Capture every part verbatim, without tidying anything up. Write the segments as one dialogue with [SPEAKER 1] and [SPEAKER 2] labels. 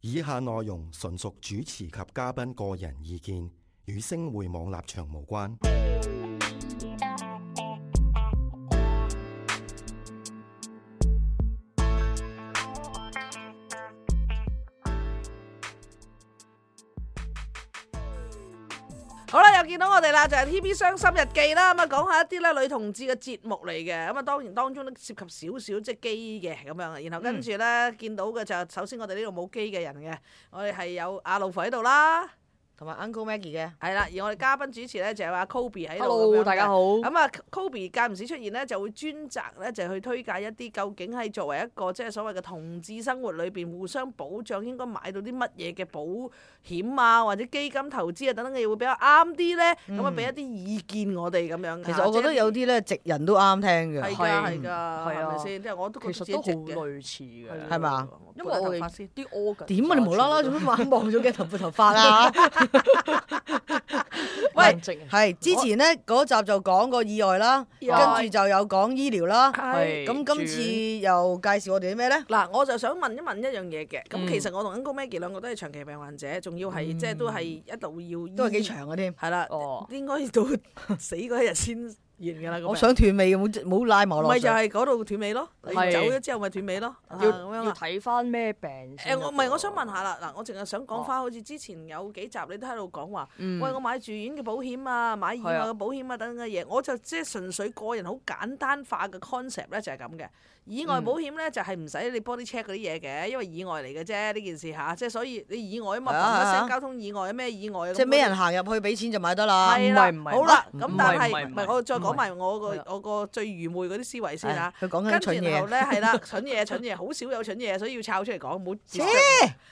[SPEAKER 1] 以下內容純屬主持及嘉賓個人意見，與星匯網立場無關。
[SPEAKER 2] 好啦，又見到我哋啦，就係 T V 傷心日記啦。咁啊，講下一啲咧女同志嘅節目嚟嘅。咁啊，當然當中都涉及少少即係基嘅咁樣。然後跟住咧、嗯、見到嘅就首先我哋呢度冇基嘅人嘅，我哋係有阿老婆喺度啦。
[SPEAKER 3] 同埋 Uncle Maggie 嘅，
[SPEAKER 2] 係啦，而我哋嘉賓主持咧就有阿 Kobe 喺度。
[SPEAKER 3] Hello，大家好。
[SPEAKER 2] 咁啊，Kobe 間唔時出現咧，就會專責咧就去推介一啲究竟係作為一個即係所謂嘅同志生活裏邊互相保障，應該買到啲乜嘢嘅保險啊，或者基金投資啊等等嘅嘢會比較啱啲咧。咁啊，俾一啲意見我哋咁樣。
[SPEAKER 3] 其實我覺得有啲咧直人都啱聽嘅。
[SPEAKER 2] 係㗎，係㗎，係咪先？即係我都覺得
[SPEAKER 4] 其實都好類似嘅，
[SPEAKER 3] 係嘛？
[SPEAKER 4] 因為我哋啲 organ
[SPEAKER 3] 點啊？你無啦啦做咩眼望咗嘅頭髮頭髮啊？喂，係之前咧嗰集就講個意外啦，跟住就有講醫療啦。
[SPEAKER 2] 係
[SPEAKER 3] 咁今次又介紹我哋啲咩咧？
[SPEAKER 2] 嗱，我就想問一問一樣嘢嘅。咁其實我同 Uncle Maggie 兩個都係長期病患者，仲要係即係都係一路要
[SPEAKER 3] 都係幾長嘅添。
[SPEAKER 2] 係啦，應該到死嗰一日先完㗎啦。
[SPEAKER 3] 我想斷尾嘅，冇冇拉埋落。
[SPEAKER 2] 咪就係嗰度斷尾咯，你走咗之後咪斷尾咯。
[SPEAKER 4] 要要睇翻咩病？
[SPEAKER 2] 誒，我唔係，我想問下啦。嗱，我淨係想講翻，好似之前有幾集你都喺度講話，喂，我買住院嘅保險啊，買意外嘅保險啊等等嘅嘢，我就即係純粹個人好簡單化嘅 concept 咧，就係咁嘅。意外保險咧就係唔使你 body check 嗰啲嘢嘅，因為意外嚟嘅啫呢件事嚇，即係所以你意外啊嘛，嘭一聲交通意外咩意外？
[SPEAKER 3] 即係咩人行入去俾錢就買得啦？
[SPEAKER 2] 係啦，
[SPEAKER 4] 唔係
[SPEAKER 2] 好啦，咁但係
[SPEAKER 4] 唔係
[SPEAKER 2] 我再講埋我個我個最愚昧嗰啲思維先嚇。
[SPEAKER 3] 佢講緊
[SPEAKER 2] 跟
[SPEAKER 3] 蠢嘢。
[SPEAKER 2] 住然後咧係啦，蠢嘢蠢嘢，好少有蠢嘢，所以要抄出嚟講，唔好。
[SPEAKER 3] 切！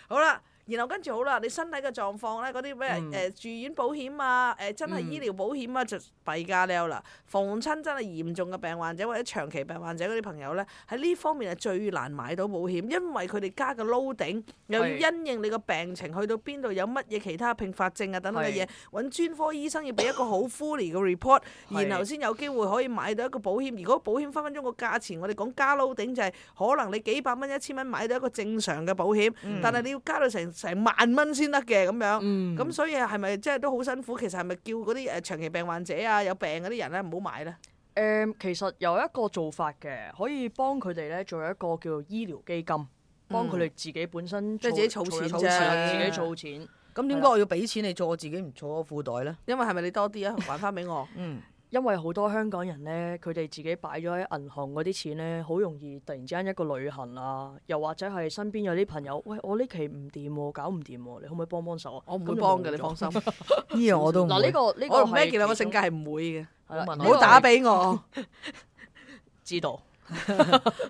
[SPEAKER 2] 好啦。然後跟住好啦，你身體嘅狀況咧，嗰啲咩誒住院保險啊，誒、呃、真係醫療保險啊，就弊加溜啦。逢親真係嚴重嘅病患者或者長期病患者嗰啲朋友咧，喺呢方面係最難買到保險，因為佢哋加嘅 loading 又要因應你個病情去到邊度，有乜嘢其他併發症啊等等嘅嘢，揾專科醫生要俾一個好 fully 嘅 report，然後先有機會可以買到一個保險。如果保險分分鐘個價錢，我哋講加 loading 就係可能你幾百蚊一千蚊買到一個正常嘅保險，嗯、但係你要加到成成萬蚊先得嘅咁樣，咁、嗯、所以係咪即係都好辛苦？其實係咪叫嗰啲誒長期病患者啊、有病嗰啲人咧唔好買咧？誒、
[SPEAKER 4] 嗯，其實有一個做法嘅，可以幫佢哋咧做一個叫做醫療基金，幫佢哋自己本身
[SPEAKER 2] 即係、嗯、自己儲錢啫，
[SPEAKER 4] 自己儲錢。
[SPEAKER 3] 咁點解我要俾錢你做，我自己唔儲個褲袋咧？
[SPEAKER 2] 因為係咪你多啲啊？還翻俾我。嗯。
[SPEAKER 4] 因為好多香港人咧，佢哋自己擺咗喺銀行嗰啲錢咧，好容易突然之間一個旅行啊，又或者係身邊有啲朋友，喂，我呢期唔掂喎，搞唔掂喎，你可唔可以幫幫手啊？
[SPEAKER 2] 我唔會幫嘅，你放心。
[SPEAKER 3] 呢樣我都唔會。
[SPEAKER 4] 嗱，呢個呢個
[SPEAKER 2] 我同 Maggie 兩個性格係唔會嘅，
[SPEAKER 4] 唔
[SPEAKER 2] 好打俾我。
[SPEAKER 4] 知道。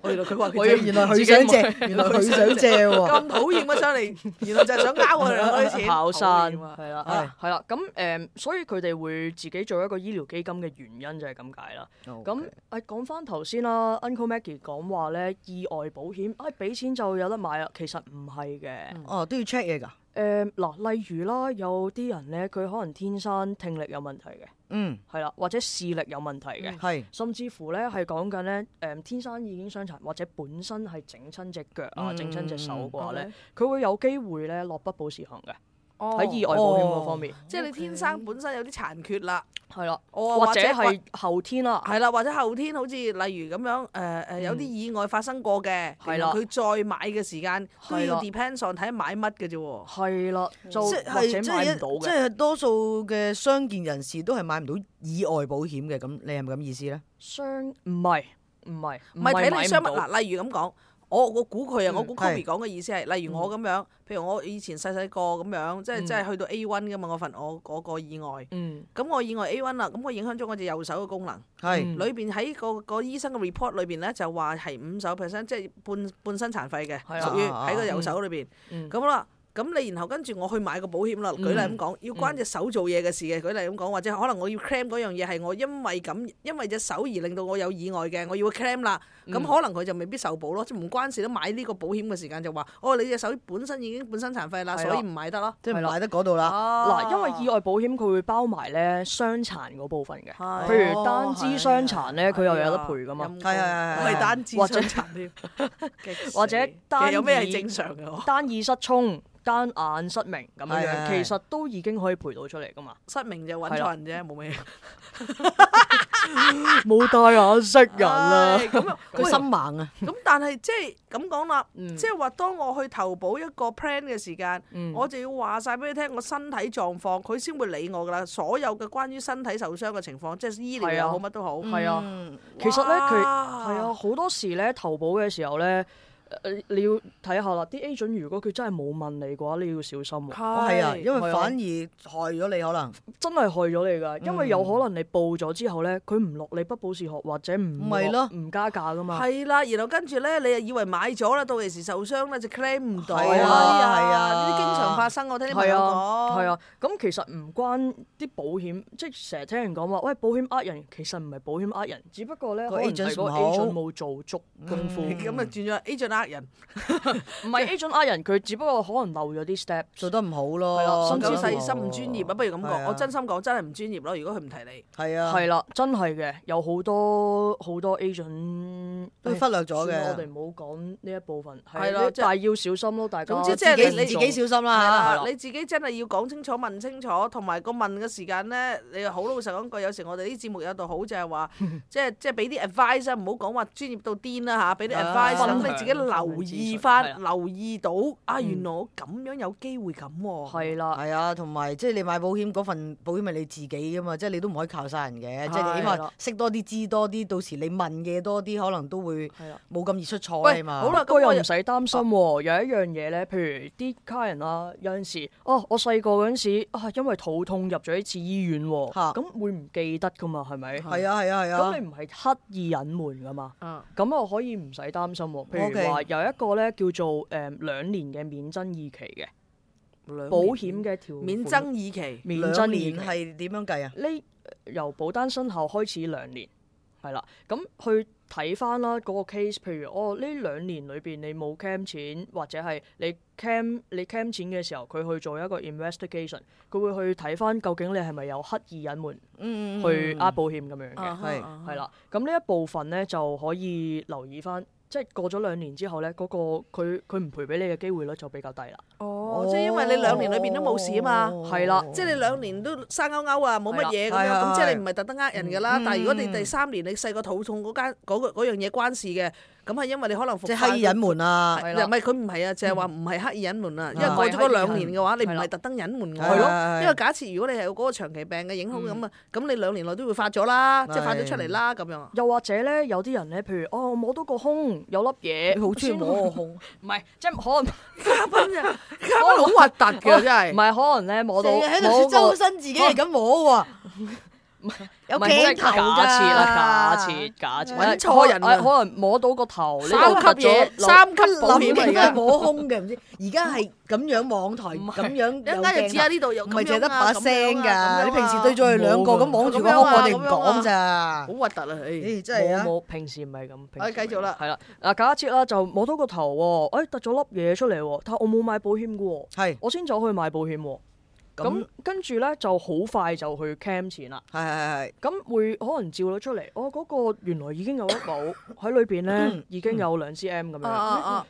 [SPEAKER 2] 我原來佢話
[SPEAKER 3] 佢原來佢想借，原來佢想借喎。
[SPEAKER 2] 咁討厭嘅上嚟，原來就係想呃我哋兩個啲錢。
[SPEAKER 4] 跑山係啦，係啦，咁誒，所以佢哋會自己做一個醫療基金嘅原因就係咁解啦。咁誒講翻頭先啦 ，Uncle Maggie 講話咧意外保險，誒俾錢就有得買啦，其實唔係嘅。
[SPEAKER 3] 哦，都要 check 嘢㗎。
[SPEAKER 4] 誒嗱，例如啦，有啲人咧，佢可能天生聽力有問題嘅，
[SPEAKER 3] 嗯，
[SPEAKER 4] 係啦，或者視力有問題嘅，
[SPEAKER 3] 係，
[SPEAKER 4] 甚至乎咧係講緊咧，誒天生已經傷殘，或者本身係整親隻腳啊、整親隻手嘅話咧，佢會有機會咧落不保時行嘅。喺意外保險嗰方面，
[SPEAKER 2] 即係你天生本身有啲殘缺啦，
[SPEAKER 4] 係啦，或者係後天啦，
[SPEAKER 2] 係啦，或者後天好似例如咁樣，誒誒有啲意外發生過嘅，係啦，佢再買嘅時間都要 depends on 睇買乜嘅啫喎，
[SPEAKER 4] 係啦，就或者買唔到嘅，
[SPEAKER 3] 即係多數嘅傷健人士都係買唔到意外保險嘅，咁你係咪咁意思咧？
[SPEAKER 4] 傷唔係唔係
[SPEAKER 2] 唔係睇你傷物嗱，例如咁講。我我估佢啊，我估 Kobe 講嘅意思係，例如我咁樣，譬如我以前細細個咁樣，即係即係去到 A one 噶嘛，我份我嗰個意外，咁我意外 A one 啦，咁我影響咗我隻右手嘅功能，係裏邊喺個個醫生嘅 report 裏邊咧就話係五十 percent，即係半半身殘廢嘅，屬於喺個右手裏邊，咁啦。咁你然後跟住我去買個保險啦。舉例咁講，要關隻手做嘢嘅事嘅，舉例咁講，或者可能我要 claim 嗰樣嘢係我因為咁，因為隻手而令到我有意外嘅，我要 claim 啦。咁可能佢就未必受保咯，即係唔關事都買呢個保險嘅時間就話，哦，你隻手本身已經本身殘廢啦，所以唔買得咯，
[SPEAKER 3] 即係唔買得嗰度啦。
[SPEAKER 4] 嗱，因為意外保險佢會包埋咧傷殘嗰部分嘅，譬如單肢傷殘咧，佢又有得賠噶嘛。
[SPEAKER 3] 係係係，
[SPEAKER 2] 唔係單肢傷殘添，
[SPEAKER 4] 或者單
[SPEAKER 2] 有咩係正常嘅？
[SPEAKER 4] 單耳失聰、單眼失明咁樣樣，其實都已經可以賠到出嚟噶嘛。
[SPEAKER 2] 失明就揾錯人啫，冇咩。
[SPEAKER 4] 冇戴眼識人啊！
[SPEAKER 2] 咁啊，
[SPEAKER 3] 佢心盲啊！
[SPEAKER 2] 咁但係即係咁講啦，即係話當我去投保一個 plan 嘅時間，我就要話晒俾你聽我身體狀況，佢先會理我噶啦。所有嘅關於身體受傷嘅情況，即係醫療又好，乜都好。
[SPEAKER 4] 係啊，其實咧佢係啊，好多時咧投保嘅時候咧。誒你要睇下啦，啲 agent 如果佢真係冇問你嘅話，你要小心喎。
[SPEAKER 3] 係啊，因為反而害咗你可能。
[SPEAKER 4] 真係害咗你㗎，因為有可能你報咗之後咧，佢唔落你不保時學或者唔落唔加價㗎嘛。
[SPEAKER 2] 係啦，然後跟住咧，你又以為買咗啦，到時受傷咧就 claim 唔到。
[SPEAKER 3] 係啊係啊，
[SPEAKER 2] 呢啲經常發生，我聽啲朋友講。
[SPEAKER 4] 係啊，咁其實唔關啲保險，即係成日聽人講話，喂保險呃人，其實唔係保險呃人，只不過咧可能係個 agent 冇做足功夫。
[SPEAKER 2] 咁啊轉咗 agent。呃人，
[SPEAKER 4] 唔係 agent 呃人，佢只不過可能漏咗啲 step，
[SPEAKER 3] 做得唔好咯，
[SPEAKER 2] 甚至細心唔專業啊！不如咁講，我真心講真係唔專業咯。如果佢唔提你，
[SPEAKER 3] 係啊，
[SPEAKER 4] 係啦，真係嘅，有好多好多 agent
[SPEAKER 3] 都忽略咗嘅。
[SPEAKER 4] 我哋唔好講呢一部分，
[SPEAKER 2] 係啦，
[SPEAKER 4] 但係要小心咯，大家。
[SPEAKER 2] 總之即係你
[SPEAKER 3] 你自己小心啦，
[SPEAKER 2] 你自己真係要講清楚、問清楚，同埋個問嘅時間咧，你好老實講句，有時我哋啲節目有度好就係話，即係即係俾啲 advice 啊，唔好講話專業到癲啦嚇，俾啲 advice 等你自己留意翻，留意到啊，原來我咁樣有機會咁喎。
[SPEAKER 4] 係啦，
[SPEAKER 3] 係啊，同埋即係你買保險嗰份保險係你自己㗎嘛，即係你都唔可以靠晒人嘅，即係你起碼識多啲、知多啲，到時你問嘅多啲，可能都會冇咁易出錯啊嘛。
[SPEAKER 2] 好啦，
[SPEAKER 4] 不過又唔使擔心喎。有一樣嘢咧，譬如啲家人啊，有陣時哦，我細個嗰陣時啊，因為肚痛入咗一次醫院喎，咁會唔記得㗎嘛？係咪？
[SPEAKER 3] 係啊係啊係啊。咁
[SPEAKER 4] 你唔係刻意隱瞞㗎嘛？咁我可以唔使擔心喎。譬如話有一個咧叫做誒兩年嘅免爭議期嘅保險嘅條款，
[SPEAKER 2] 免爭議期，
[SPEAKER 4] 免爭議期
[SPEAKER 3] 係點樣計啊？
[SPEAKER 4] 呢由保單生效開始兩年，係啦，咁去睇翻啦嗰個 case，譬如哦呢兩年裏邊你冇 claim 錢，或者係你 claim 你 claim 錢嘅時候，佢去做一個 investigation，佢會去睇翻究竟你係咪有刻意隱瞞，嗯、去呃保險咁樣嘅，係係啦，咁呢一部分咧就可以留意翻。即係過咗兩年之後咧，嗰、嗰個佢佢唔賠俾你嘅機會率就比較低啦。
[SPEAKER 2] 哦，即係因為你兩年裏邊都冇事啊嘛，
[SPEAKER 4] 係啦、
[SPEAKER 2] 哦，即係你兩年都生勾勾啊，冇乜嘢咁樣，咁即係你唔係特登呃人㗎啦。嗯、但係如果你第三年你細個肚痛嗰間嗰樣嘢關事嘅。咁係因為你可能即
[SPEAKER 3] 係刻意隱瞞啊，
[SPEAKER 2] 唔係佢唔係啊，就係話唔係刻意隱瞞啊。因為過咗嗰兩年嘅話，你唔係特登隱瞞我。係咯，因為假設如果你係有嗰個長期病嘅影響咁啊，咁你兩年內都會發咗啦，即係發咗出嚟啦咁樣。
[SPEAKER 4] 又或者咧，有啲人咧，譬如哦，摸到個胸有粒嘢，
[SPEAKER 3] 好中意摸個胸，
[SPEAKER 4] 唔係即係可能
[SPEAKER 2] 嘉賓啊，嘉賓好核突嘅真係。
[SPEAKER 4] 唔係可能咧摸到
[SPEAKER 3] 喺度説周身自己係咁摸喎。有鏡頭㗎，
[SPEAKER 4] 假設啦，假設假設
[SPEAKER 2] 揾錯人啊！
[SPEAKER 4] 可能摸到個頭，
[SPEAKER 2] 三級嘢，三級保險嚟嘅，
[SPEAKER 3] 摸胸嘅唔知。而家係咁樣網台咁樣，
[SPEAKER 2] 一陣間就知下呢度有
[SPEAKER 3] 唔係淨係得把聲㗎。你平時對住佢兩個咁望住個胸，我哋唔講咋。
[SPEAKER 2] 好核突啊！誒，
[SPEAKER 3] 真係啊！
[SPEAKER 4] 冇平時唔係咁。
[SPEAKER 2] 我繼續啦。
[SPEAKER 4] 係啦，嗱假設啦，就摸到個頭喎，誒突咗粒嘢出嚟喎，但係我冇買保險嘅喎，
[SPEAKER 3] 係我
[SPEAKER 4] 先走去買保險喎。咁跟住咧就好快就去 claim 錢啦，
[SPEAKER 3] 係係係，
[SPEAKER 4] 咁會可能照咗出嚟，哦嗰、嗰個原來已經有一保喺裏邊咧，已經有兩 cm 咁樣，咁、啊啊、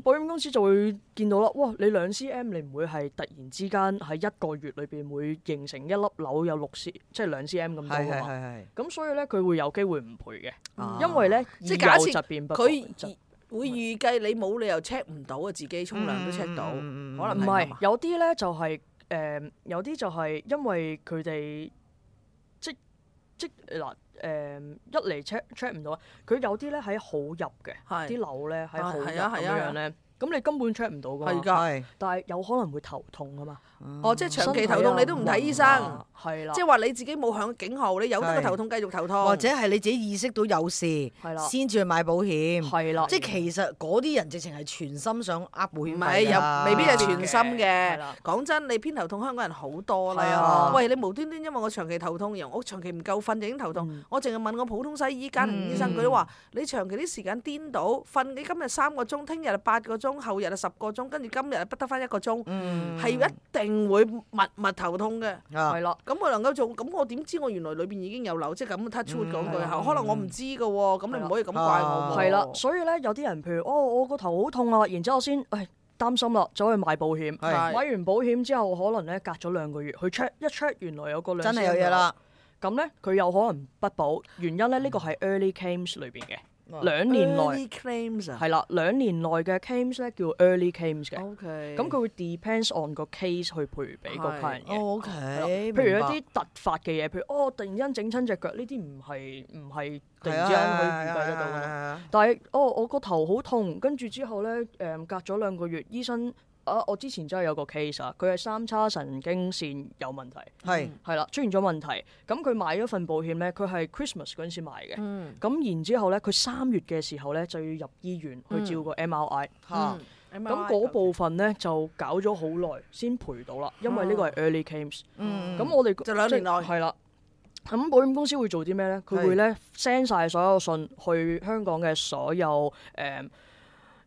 [SPEAKER 4] 保險公司就會見到啦，哇你兩 cm 你唔會係突然之間喺一個月裏邊會形成一粒瘤有六 c 即係兩 cm 咁多㗎嘛，咁所以咧佢會有機會唔賠嘅，啊、因為咧
[SPEAKER 2] 即係假設
[SPEAKER 4] 佢
[SPEAKER 2] 會預計你冇理由 check 唔到啊，自己沖涼都 check 到，
[SPEAKER 3] 嗯、
[SPEAKER 2] 可能
[SPEAKER 4] 唔係有啲咧就係、是。誒、呃、有啲就係因為佢哋即即嗱誒一嚟 check check 唔到啊，佢有啲咧喺好入嘅，啲樓咧喺好入咁樣咧，咁咁你根本 check 唔到㗎嘛。
[SPEAKER 2] 係㗎，
[SPEAKER 4] 但係有可能會頭痛啊嘛。
[SPEAKER 2] 哦，即係長期頭痛你都唔睇醫生，
[SPEAKER 4] 係啦，
[SPEAKER 2] 即係話你自己冇響警號，你有得個頭痛繼續頭痛，
[SPEAKER 3] 或者係你自己意識到有事，先至去買保險。
[SPEAKER 4] 係啦，
[SPEAKER 3] 即係其實嗰啲人直情係全心想呃保險費㗎。
[SPEAKER 2] 唔係又未必係全心嘅。
[SPEAKER 4] 啦
[SPEAKER 2] 講真，你偏頭痛香港人好多啦。
[SPEAKER 4] 係啊
[SPEAKER 2] 喂，你無端端因為我長期頭痛，然後我長期唔夠瞓就已經頭痛，
[SPEAKER 4] 嗯
[SPEAKER 2] 我淨係問我普通西醫、家庭醫生，佢都話你長期啲時間顛倒，瞓你今日三個鐘，聽日八個鐘，後日啊十個鐘，跟住今日不得翻一個鐘，係一定會密密頭痛嘅。
[SPEAKER 4] 係啦。
[SPEAKER 2] 咁我能夠做，咁我點知我原來裏邊已經有瘤，即係咁 touch wood 講句口，可能我唔知㗎喎，咁你唔可以咁怪我喎。
[SPEAKER 4] 係啦，所以咧有啲人譬如哦，我個頭好痛啊，然之後先誒擔心啦，走去買保險，買完保險之後可能咧隔咗兩個月去 check 一 check，原來有個兩
[SPEAKER 3] 真係有嘢啦。
[SPEAKER 4] 咁咧佢有可能不保，原因咧呢個係 early claims 裏邊嘅。兩年內
[SPEAKER 2] early claims 啊，
[SPEAKER 4] 係啦，兩年內嘅 claims 咧叫 early claims 嘅。
[SPEAKER 2] OK，
[SPEAKER 4] 咁佢會 depends on 個 case 去賠俾個客人嘅。
[SPEAKER 3] O K，
[SPEAKER 4] 譬如一啲突發嘅嘢，譬如哦突然間整親隻腳，呢啲唔係唔係突然之間可以預計得到嘅咯。但係哦我個頭好痛，跟住之後咧誒隔咗兩個月，醫生。啊！我之前真係有個 case 啊，佢係三叉神經線有問題，
[SPEAKER 3] 係
[SPEAKER 4] 係啦出現咗問題。咁佢買咗份保險咧，佢係 Christmas 嗰陣時買嘅。咁、
[SPEAKER 2] 嗯、
[SPEAKER 4] 然之後咧，佢三月嘅時候咧就要入醫院去照個 M R I。
[SPEAKER 2] 嚇、
[SPEAKER 4] 嗯！咁嗰部分咧就搞咗好耐先賠到啦，因為呢個係 early claims。
[SPEAKER 3] 嗯，
[SPEAKER 4] 咁我哋
[SPEAKER 2] 就兩年內
[SPEAKER 4] 係啦。咁保險公司會做啲咩咧？佢會咧 send 晒所有信去香港嘅所有誒、呃、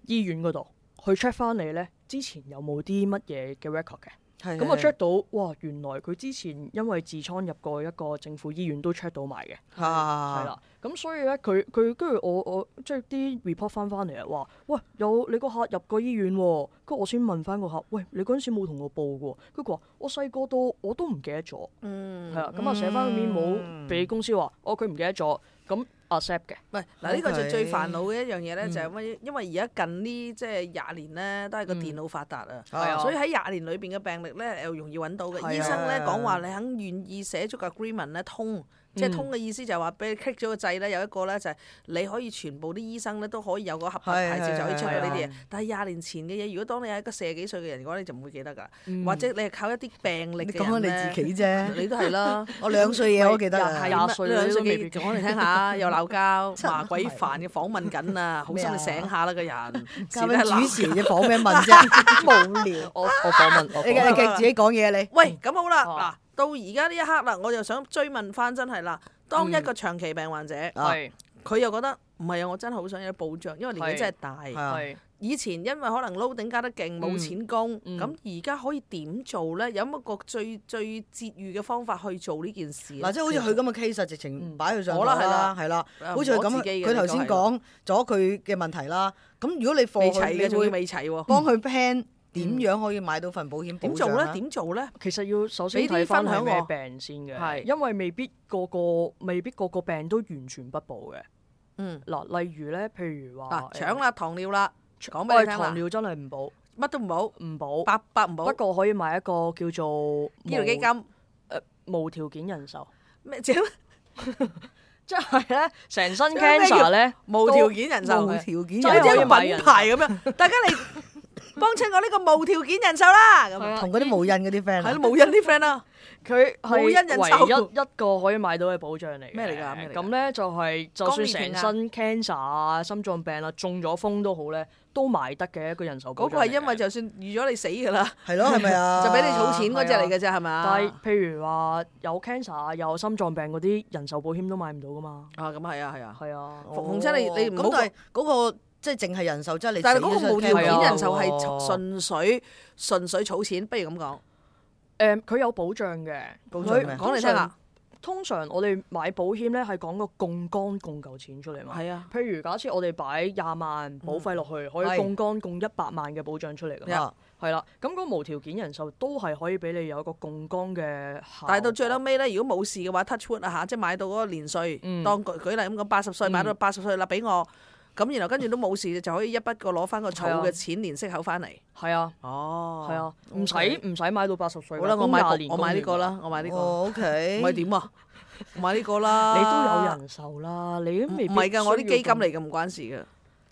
[SPEAKER 4] 醫院嗰度去 check 翻你咧。之前有冇啲乜嘢嘅 record 嘅？咁我 check 到，哇！原來佢之前因為痔瘡入過一個政府醫院都 check 到埋嘅，係啦、啊。咁所以咧，佢佢跟住我我即係啲 report 翻翻嚟啊，話喂有你個客入過醫院喎，跟住我先問翻個客，喂你嗰陣時冇同我報嘅喎，跟住佢話我細個到我都唔記得咗，
[SPEAKER 2] 嗯，
[SPEAKER 4] 係啊，咁啊寫翻個 memo 俾公司話，哦佢唔記得咗，咁 accept 嘅。
[SPEAKER 2] 喂，嗱呢個就最煩惱嘅一樣嘢咧，就係因因為而家近呢即係廿年咧，都係個電腦發達啊，所以喺廿年裏邊嘅病歷咧又容易揾到嘅。醫生咧講話你肯願意寫足個 agreement 咧通。即係通嘅意思就係話俾你 click 咗個掣咧，有一個咧就係你可以全部啲醫生咧都可以有個合法牌照就可以出到呢啲嘢。但係廿年前嘅嘢，如果當你係一個四十幾歲嘅人嘅話，你就唔會記得㗎。或者你係靠一啲病歷嘅人咧。你講緊你自己啫，你都係啦。
[SPEAKER 3] 我兩歲嘢我都記得
[SPEAKER 2] 啊，廿歲兩歲幾講嚟聽下，又鬧交，麻鬼煩嘅訪問緊啊，好心你醒下啦個人。
[SPEAKER 3] 交俾主持嘅訪咩問啫？無聊。
[SPEAKER 4] 我我訪問，
[SPEAKER 3] 你你自己講嘢你。
[SPEAKER 2] 喂，咁好啦，嗱。到而家呢一刻啦，我就想追問翻，真係啦，當一個長期病患者，佢、嗯、又覺得唔係啊，我真係好想有保障，因為年紀真係大。以前因為可能撈頂加得勁，冇錢供，咁而家可以點做咧？有冇一個最最節裕嘅方法去做呢件事？
[SPEAKER 3] 嗱，即係好似佢咁嘅 case，直情擺佢上台啦，係啦，好似佢咁，佢頭先講咗佢嘅問題啦。咁如果你貨佢，
[SPEAKER 2] 你會未齊喎？
[SPEAKER 3] 幫佢 plan。點樣可以買到份保險保障？
[SPEAKER 2] 點做咧？點做咧？
[SPEAKER 4] 其實要首先睇翻係咩病先嘅，係因為未必個個未必個個病都完全不保嘅。嗯，嗱，例如咧，譬如話
[SPEAKER 2] 嗱，腸啦、糖尿啦，講俾你聽啦。
[SPEAKER 4] 糖尿真係唔保，
[SPEAKER 2] 乜都唔保，
[SPEAKER 4] 唔保，
[SPEAKER 2] 百百唔保。
[SPEAKER 4] 不過可以買一個叫做
[SPEAKER 2] 醫療基金，誒
[SPEAKER 4] 無條件人壽。
[SPEAKER 2] 咩啫？
[SPEAKER 4] 即係咧，成身 cancer 咧，
[SPEAKER 2] 無條件人壽，
[SPEAKER 3] 無條件，
[SPEAKER 2] 就好似一個品牌咁樣。大家嚟。幫襯我呢個無條件人壽啦，咁
[SPEAKER 3] 同嗰啲無印嗰啲 friend，
[SPEAKER 2] 係咯無印啲 friend 啊，
[SPEAKER 4] 佢係
[SPEAKER 2] 無印人壽
[SPEAKER 4] 唯一一個可以買到嘅保障嚟。
[SPEAKER 2] 咩嚟㗎？
[SPEAKER 4] 咁咧就係就算成身 cancer 啊、心臟病啊、中咗風都好咧，都買得嘅一個人壽保障。
[SPEAKER 2] 嗰個係因為就算預咗你死㗎啦，
[SPEAKER 3] 係咯，係咪啊？
[SPEAKER 2] 就俾你儲錢嗰隻嚟嘅啫，係咪啊？
[SPEAKER 4] 但係譬如話有 cancer 啊、有心臟病嗰啲人壽保險都買唔到㗎嘛。
[SPEAKER 2] 啊，咁係啊，係啊，
[SPEAKER 4] 係啊。
[SPEAKER 2] 逢親你你唔好
[SPEAKER 3] 嗰個。即係淨係人壽，即係你。
[SPEAKER 2] 但係嗰個無條件人壽係純粹純粹儲錢，不如咁講。
[SPEAKER 4] 誒，佢有保障嘅，
[SPEAKER 2] 保障咩？講嚟聽下。
[SPEAKER 4] 通常我哋買保險咧係講個槓桿供夠錢出嚟嘛。係啊。譬如假設我哋擺廿萬保費落去，可以槓桿供一百萬嘅保障出嚟㗎嘛。係啦。咁嗰無條件人壽都係可以俾你有一個槓桿嘅。
[SPEAKER 2] 但係到最撚尾咧，如果冇事嘅話 touch wood 啊嚇，即係買到嗰個年歲，當舉舉例咁講，八十歲買到八十歲啦，俾我。咁然後跟住都冇事，就可以一筆過攞翻個儲嘅錢，年息口翻嚟。
[SPEAKER 4] 係啊，
[SPEAKER 2] 哦，
[SPEAKER 4] 係啊，唔使唔使買到八十歲。
[SPEAKER 2] 好啦，我買我買呢個啦，我買呢個。
[SPEAKER 3] O K。
[SPEAKER 2] 唔係點啊？我買呢個啦。
[SPEAKER 4] 你都有人壽啦，你都未必。
[SPEAKER 2] 唔係㗎，我啲基金嚟㗎，唔關事㗎。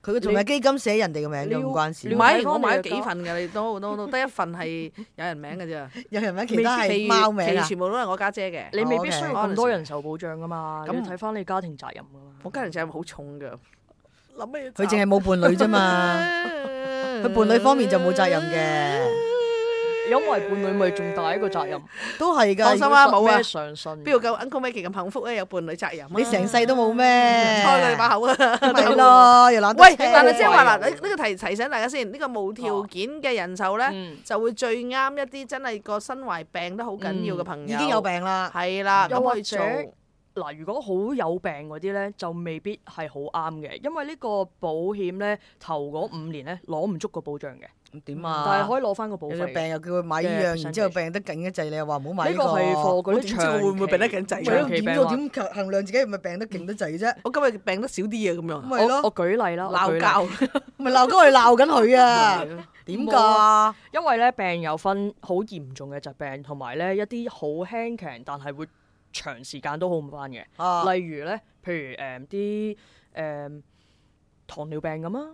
[SPEAKER 3] 佢仲係基金寫人哋嘅名嘅，唔關事。
[SPEAKER 2] 唔係，我買咗幾份㗎，你都都都得一份係有人名嘅啫。
[SPEAKER 3] 有人名，其他係貓名啊！
[SPEAKER 2] 全部都係我家姐嘅。
[SPEAKER 4] 你未必需要咁多人壽保障㗎嘛，咁睇翻你家庭責任㗎嘛。
[SPEAKER 2] 我家庭責任好重㗎，諗咩？
[SPEAKER 3] 佢淨係冇伴侶啫嘛，佢伴侶方面就冇責任嘅。
[SPEAKER 4] 因為伴侶咪仲大一個責任，
[SPEAKER 3] 都係㗎。
[SPEAKER 2] 放心啦，冇啊，
[SPEAKER 4] 上身。
[SPEAKER 2] 邊度夠 Uncle Maggie 咁幸福咧？有伴侶責任。
[SPEAKER 3] 你成世都冇咩？
[SPEAKER 2] 開佢哋把口啊！
[SPEAKER 3] 係咯，又懶得。
[SPEAKER 2] 喂，但係即係話嗱，呢呢個提提醒大家先，呢個無條件嘅人壽咧，就會最啱一啲真係個身懷病得好緊要嘅朋友。
[SPEAKER 3] 已經有病啦，
[SPEAKER 2] 係啦，
[SPEAKER 4] 又或者
[SPEAKER 2] 咁去做。
[SPEAKER 4] 嗱，如果好有病嗰啲咧，就未必係好啱嘅，因為呢個保險咧頭嗰五年咧攞唔足個保障嘅。
[SPEAKER 3] 咁點啊？
[SPEAKER 4] 但係可以攞翻個保費。
[SPEAKER 3] 有病又叫佢買呢樣，然之後病得緊一滯，你又話唔好買呢個。
[SPEAKER 4] 呢個係貨嗰啲長期。
[SPEAKER 2] 會唔會病得緊滯？
[SPEAKER 4] 長期病患。
[SPEAKER 3] 點衡量自己係咪病得勁得滯啫？
[SPEAKER 2] 我今日病得少啲啊，咁樣。
[SPEAKER 3] 咪咯。
[SPEAKER 4] 我舉例啦，
[SPEAKER 2] 鬧交。
[SPEAKER 3] 咪鬧交，我哋鬧緊佢啊！點㗎？
[SPEAKER 4] 因為咧病有分好嚴重嘅疾病，同埋咧一啲好輕強，但係會長時間都好唔翻嘅。例如咧，譬如誒啲誒糖尿病咁啊，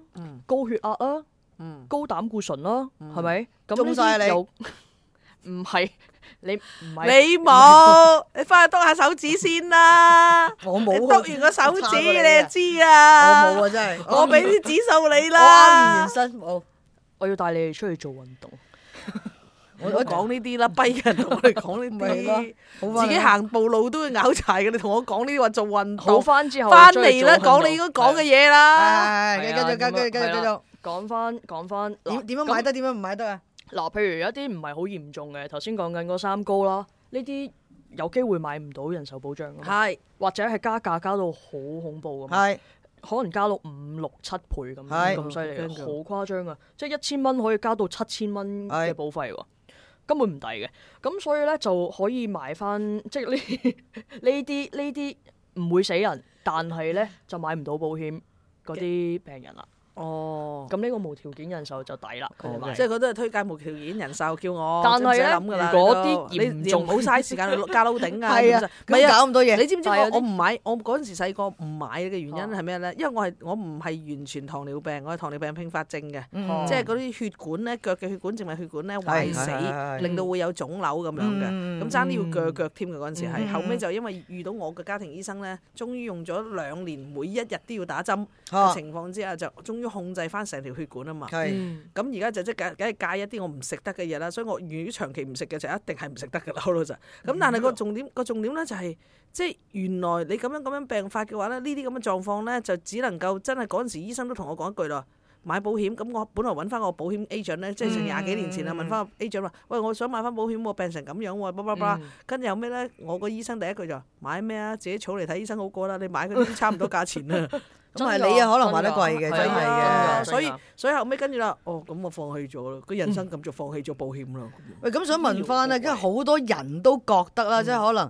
[SPEAKER 4] 高血壓啊。嗯、高膽固醇咯，係咪、嗯？咁
[SPEAKER 3] 中晒你，
[SPEAKER 4] 唔係你唔係
[SPEAKER 2] 你冇，你翻去篤下手指先啦。
[SPEAKER 3] 我冇，
[SPEAKER 2] 篤完個手指你就知啦。
[SPEAKER 3] 我冇啊，真係。
[SPEAKER 2] 我俾啲指數你啦。
[SPEAKER 3] 我啱完身，我
[SPEAKER 4] 我要帶你哋出去做運動。
[SPEAKER 2] 我我講呢啲啦，跛人同我哋講呢啲，自己行步路都會拗柴嘅。你同我講呢啲話做運動，
[SPEAKER 4] 好翻之後
[SPEAKER 2] 翻嚟啦，講你應該講嘅嘢啦。
[SPEAKER 3] 係，繼續，繼續，繼續，繼續。
[SPEAKER 4] 講翻講翻，
[SPEAKER 3] 點點樣買得？點樣唔買得啊？
[SPEAKER 4] 嗱，譬如有一啲唔係好嚴重嘅，頭先講緊嗰三高啦，呢啲有機會買唔到人壽保障㗎嘛。係，或者係加價加到好恐怖㗎嘛。係，可能加到五六七倍咁咁犀利，好誇張啊！即係一千蚊可以加到七千蚊嘅保費喎。根本唔抵嘅，咁所以咧就可以買翻，即係呢呢啲呢啲唔會死人，但係咧就買唔到保險嗰啲病人啦。哦，咁呢個無條件人壽就抵啦，佢哋買。
[SPEAKER 2] 即係佢都係推介無條件人壽，叫我
[SPEAKER 4] 但係咧，如果啲嚴重，
[SPEAKER 2] 唔好嘥時間去加撈頂啊！
[SPEAKER 3] 係啊，唔好搞咁多嘢。
[SPEAKER 2] 你知唔知我我唔買？我嗰陣時細個唔買嘅原因係咩咧？因為我係我唔係完全糖尿病，我係糖尿病併發症嘅，即係嗰啲血管咧，腳嘅血管、靜脈血管咧壞死，令到會有腫瘤咁樣嘅。咁爭啲要鋸腳添嘅嗰陣時係，後尾就因為遇到我嘅家庭醫生咧，終於用咗兩年，每一日都要打針嘅情況之下，就終於控制翻成條血管啊嘛。咁而家就即係梗係戒一啲我唔食得嘅嘢啦。所以我如果長期唔食嘅就一定係唔食得㗎啦，好老實。咁但係個重點個重點咧就係，即係原來你咁樣咁樣病發嘅話咧，呢啲咁嘅狀況咧就只能夠真係嗰陣時醫生都同我講一句啦。買保險咁，我本來揾翻個保險 agent 咧，即係成廿幾年前啦，問翻個 agent 話：喂，我想買翻保險喎，病成咁樣喎，巴拉巴拉。跟住有咩咧？我個醫生第一句就話：買咩啊？自己儲嚟睇醫生好過啦，你買嗰啲差唔多價錢啦。
[SPEAKER 3] 咁係你啊，可能買得貴嘅，真係嘅。
[SPEAKER 2] 所以所以後尾跟住啦，哦，咁我放棄咗啦，個人生咁就放棄咗保險啦。
[SPEAKER 3] 喂，咁想問翻咧，因為好多人都覺得啦，即係可能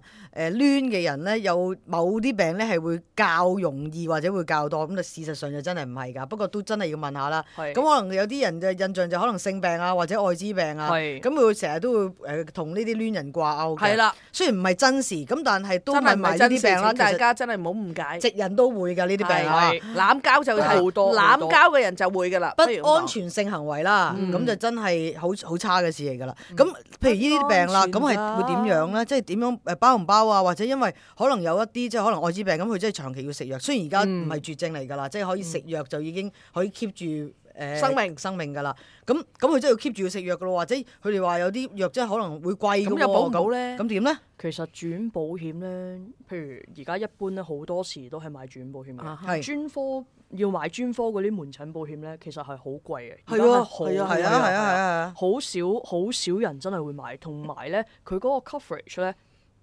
[SPEAKER 3] 誒攣嘅人咧，有某啲病咧係會較容易或者會較多，咁就事實上就真係唔係㗎。不過都真係要問下啦。咁可能有啲人嘅印象就可能性病啊，或者愛滋病啊，咁佢會成日都會誒同呢啲攣人掛鈎嘅。係啦，雖然唔係真事，咁但係都問埋呢啲病啦。
[SPEAKER 2] 大家真係唔好誤解，
[SPEAKER 3] 直人都會㗎呢啲病啊。
[SPEAKER 2] 濫交就係好多，濫交嘅人就會噶啦，
[SPEAKER 3] 不安全性行為啦，咁就真係好好差嘅事嚟噶啦。咁譬如呢啲病啦，咁係會點樣咧？即係點樣誒包唔包啊？或者因為可能有一啲即係可能愛滋病咁，佢真係長期要食藥。雖然而家唔係絕症嚟噶啦，即係可以食藥就已經可以 keep 住誒生命生命噶啦。咁咁佢真係要 keep 住要食藥噶咯，或者佢哋話有啲藥真係可能會貴嘅喎。咁又保唔到咧？咁點咧？
[SPEAKER 4] 其實住院保險咧，譬如而家一般咧，好多時都係買住院保險嘅。係專科要買專科嗰啲門診保險咧，其實係好貴嘅。係啊，係啊，係啊，係啊，係啊，好少好少人真係會買，同埋咧佢嗰個 coverage 咧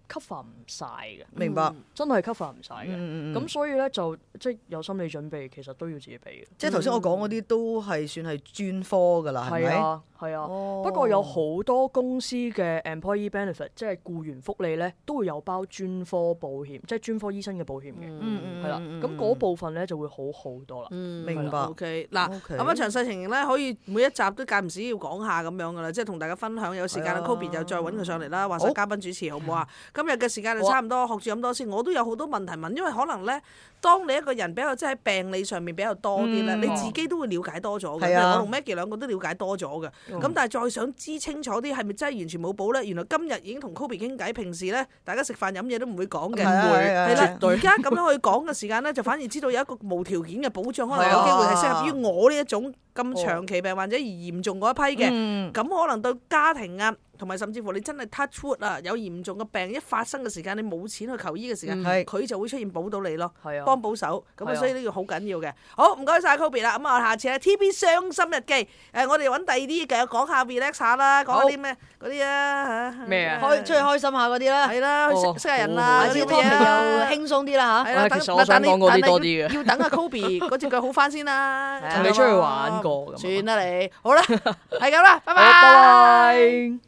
[SPEAKER 4] cover 唔晒嘅。明白，真係 cover 唔晒嘅。咁所以咧就即係有心理準備，其實都要自己俾嘅。即係頭先我講嗰啲都係算係專科㗎啦，係咪？係啊，係啊。不過有好多公司嘅 employee benefit，即係僱員福利咧，都會有包專科保險，即係專科醫生嘅保險嘅。嗯嗯，係啦。咁嗰部分咧就會好好多啦。嗯，
[SPEAKER 2] 明白。OK，嗱，咁樣詳細情形咧，可以每一集都間唔時要講下咁樣㗎啦，即係同大家分享。有時間啊 Kobe 就再揾佢上嚟啦，或者嘉賓主持好唔好啊？今日嘅時間就差唔多，學住咁多先。我都有好多問題問，因為可能咧，當你一個人比較即係喺病理上面比較多啲咧，你自己都會了解多咗嘅。我同 Maggie 兩個都了解多咗嘅。咁但係再想知清楚啲，係咪真係完全冇補咧？原來今日已經同 Kobe 傾偈，平時咧大家食飯飲嘢都唔會講嘅。
[SPEAKER 3] 唔會
[SPEAKER 2] 係啦，而家咁樣去講嘅時間咧，就反而知道有一個無條件嘅保障，可能有機會係適合於我呢一種咁長期病患者而嚴重嗰一批嘅。咁可能對家庭啊，同埋甚至乎你真係 touch wood 啊，有嚴重嘅病一發生嘅時間，你冇錢去求醫嘅時間，佢、嗯、就會出現保到你咯，
[SPEAKER 4] 係啊，
[SPEAKER 2] 幫補手。咁啊，所以呢個好緊要嘅。好，唔該晒 Kobe 啦。咁啊，下次咧 T B 傷心日記，誒、呃，我哋揾第二啲嘅講下 relax 下啦，講下啲咩嗰啲啊嚇。
[SPEAKER 4] 咩啊？
[SPEAKER 3] 開出去開心下嗰啲啦。
[SPEAKER 2] 係啦，去識識下人啊，嗰啲
[SPEAKER 3] 嘢又輕鬆啲啦嚇。
[SPEAKER 2] 係啦，
[SPEAKER 4] 其實我想講嗰啲多啲嘅。
[SPEAKER 2] 要等阿 Kobe 嗰隻腳好翻先啦。
[SPEAKER 4] 同你出去玩過。
[SPEAKER 2] 算啦你，好啦，係咁啦，拜拜。
[SPEAKER 4] 拜拜。